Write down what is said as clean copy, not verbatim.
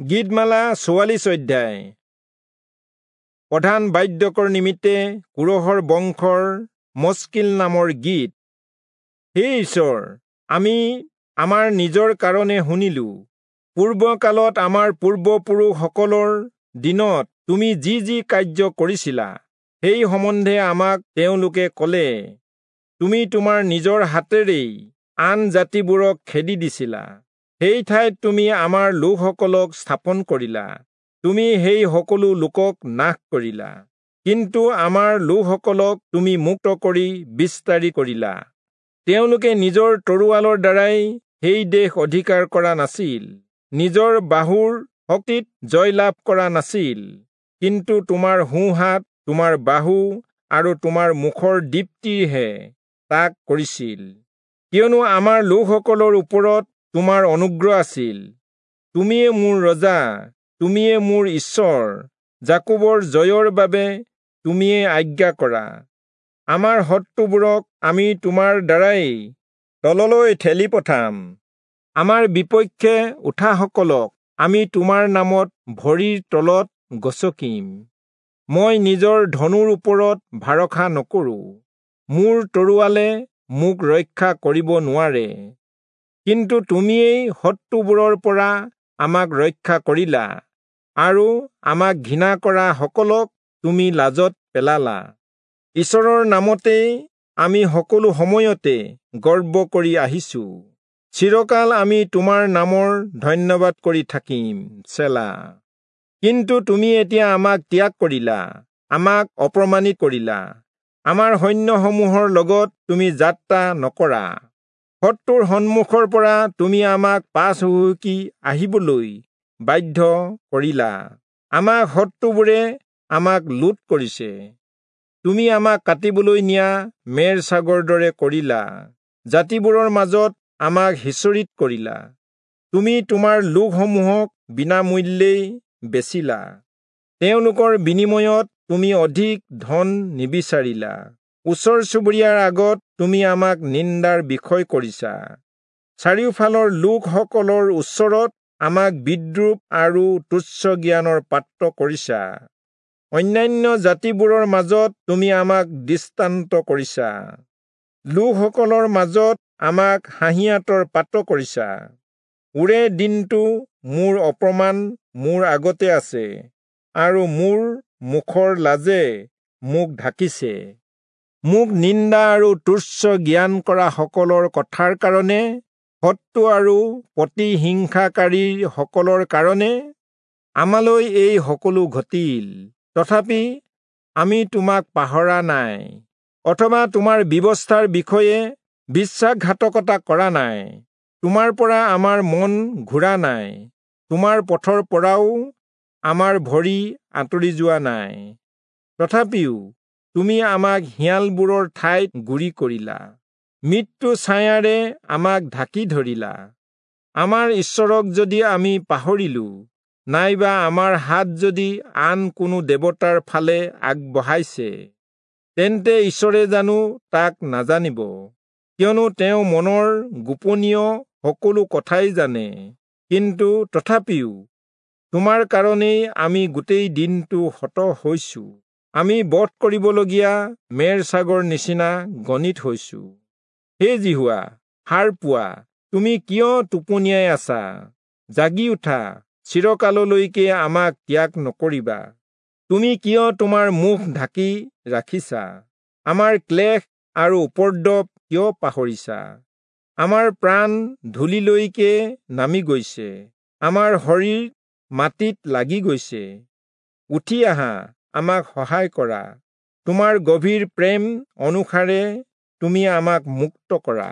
গীতমালা 44 অধ্যায়। প্ৰধান বাদ্যকৰ নিমিত্তে কোৰহৰ বংশৰ মস্কিল নামৰ গীত। হে ঈশ্বৰ, আমি আমাৰ নিজৰ কাৰণে শুনিলো। পূৰ্বকালত আমাৰ পূৰ্বপুৰুষসকলৰ দিনত তুমি যি যি কাৰ্য কৰিছিলা, সেই সম্বন্ধে আমাক তেওঁলোকে ক'লে। তুমি তোমাৰ নিজৰ হাতেৰেই আন জাতিবোৰক খেদি দিছিলা। সেই ঠাইত তুমি আমাৰ লোকসকলক স্থাপন কৰিলা। তুমি সেই সকলো লোকক নাশ কৰিলা, কিন্তু আমাৰ লোকসকলক তুমি মুক্ত কৰি বিস্তাৰি কৰিলা। তেওঁলোকে নিজৰ তৰোৱালৰ দ্বাৰাই সেই দেশ অধিকাৰ কৰা নাছিল, নিজৰ বাহুৰ শক্তিত জয়লাভ কৰা নাছিল, কিন্তু তোমাৰ সোঁহাত, তোমাৰ বাহু আৰু তোমাৰ মুখৰ দীপ্তিহে তাক কৰিছিল। কিয়নো আমাৰ লোকসকলৰ ওপৰত তোমাৰ অনুগ্ৰহ আছিল। তুমিয়ে মোৰ ৰজা, তুমিয়ে মোৰ ঈশ্বৰ, যাকোবৰ জয়ৰ বাবে তুমিয়ে আজ্ঞা কৰা। আমাৰ শত্ৰুবোৰক আমি তোমাৰ দ্বাৰাই তললৈ ঠেলি পঠাম। আমাৰ বিপক্ষে উঠাসকলক আমি তোমাৰ নামত ভৰিৰ তলত গচকিম। মই নিজৰ ধনুৰ ওপৰত ভৰসা নকৰোঁ, মোৰ তৰোৱালে মোক ৰক্ষা কৰিব নোৱাৰে। কিন্তু তুমিয়েই শত্ৰুবোৰৰ পৰা আমাক ৰক্ষা কৰিলা আৰু আমাক ঘৃণা কৰা সকলক তুমি লাজত পেলালা। ঈশ্বৰৰ নামতেই আমি সকলো সময়তে গৰ্ব কৰি আহিছো। চিৰকাল আমি তোমাৰ নামৰ ধন্যবাদ কৰি থাকিম। চেলা। কিন্তু তুমি এতিয়া আমাক ত্যাগ কৰিলা, আমাক অপমানিত কৰিলা। আমাৰ সৈন্যসমূহৰ লগত তুমি যাত্ৰা নকৰা। শত্ৰুৰ সন্মুখৰ পৰা তুমি আমাক পাছ হুহুকি আহিবলৈ বাধ্য কৰিলা। আমাক শত্ৰুবোৰে আমাক লুট কৰিছে। তুমি আমাক কাটিবলৈ নিয়া মেৰ ছাগৰ দৰে কৰিলা। জাতিবোৰৰ মাজত আমাক সিঁচৰিত কৰিলা। তুমি তোমাৰ লোকসমূহক বিনামূল্যেই বেচিলা। তেওঁলোকৰ বিনিময়ত তুমি অধিক ধন নিবিচাৰিলা। ওচৰ চুবুৰীয়াৰ আগত তুমি আমাক নিন্দাৰ বিষয় কৰিছা। চাৰিওফালৰ লোকসকলৰ ওচৰত আমাক বিদ্ৰূপ আৰু তুচ্ছ জ্ঞানৰ পাত্ৰ কৰিছা। অন্যান্য জাতিবোৰৰ মাজত তুমি আমাক দৃষ্টান্ত কৰিছা। লোকসকলৰ মাজত আমাক হাঁহিয়াতৰ পাত্ৰ কৰিছা। ওৰে দিনটো মোৰ অপমান মোৰ আগতে আছে আৰু মোৰ মুখৰ লাজে মোক ঢাকিছে। মোক নিন্দা আৰু তুচ্ছ জ্ঞান কৰা সকলৰ কথাৰ কাৰণে, শত্ৰু আৰু প্ৰতিহিংসাকাৰীসকলৰ কাৰণে আমালৈ এই সকলো ঘটিল। তথাপি আমি তোমাক পাহৰা নাই, অথবা তোমাৰ ব্যৱস্থাৰ বিষয়ে বিশ্বাসঘাতকতা কৰা নাই। তোমাৰ পৰা আমাৰ মন ঘূৰা নাই, তোমাৰ পথৰ পৰাও আমাৰ ভৰি আঁতৰি যোৱা নাই। তথাপিও তুমি আমাক শিয়ালবোৰৰ ঠাইত গুৰি কৰিলা, মৃত্যু ছায়াৰে আমাক ঢাকি ধৰিলা। আমাৰ ঈশ্বৰক যদি আমি পাহৰিলো, নাইবা আমাৰ হাত যদি আন কোনো দেৱতাৰ ফালে আগবঢ়াইছে, তেন্তে ঈশ্বৰে জানো তাক নাজানিব? কিয়নো তেওঁ মনৰ গোপনীয় সকলো কথাই জানে। কিন্তু তথাপিও তোমাৰ কাৰণেই আমি গোটেই দিনটো হত হৈছো। আমি বধ কৰিবলগীয়া মেৰ ছাগৰ নিচিনা গণিত হৈছো। হে যিহোৱা, সাৰ পোৱা, তুমি কিয় টোপনিয়াই আছা? জাগি উঠা, চিৰকাললৈকে আমাক ত্যাগ নকৰিবা। তুমি কিয় তোমাৰ মুখ ঢাকি ৰাখিছা? আমাৰ ক্লেশ আৰু উপদ্ৰৱ কিয় পাহৰিছা? আমাৰ প্ৰাণ ধূলিলৈকে নামি গৈছে, আমাৰ শৰীৰ মাটিত লাগি গৈছে। উঠি আহা, আমাক সহায় কৰা। তোমাৰ গভীৰ প্ৰেম অনুসাৰে তুমি আমাক মুক্ত কৰা।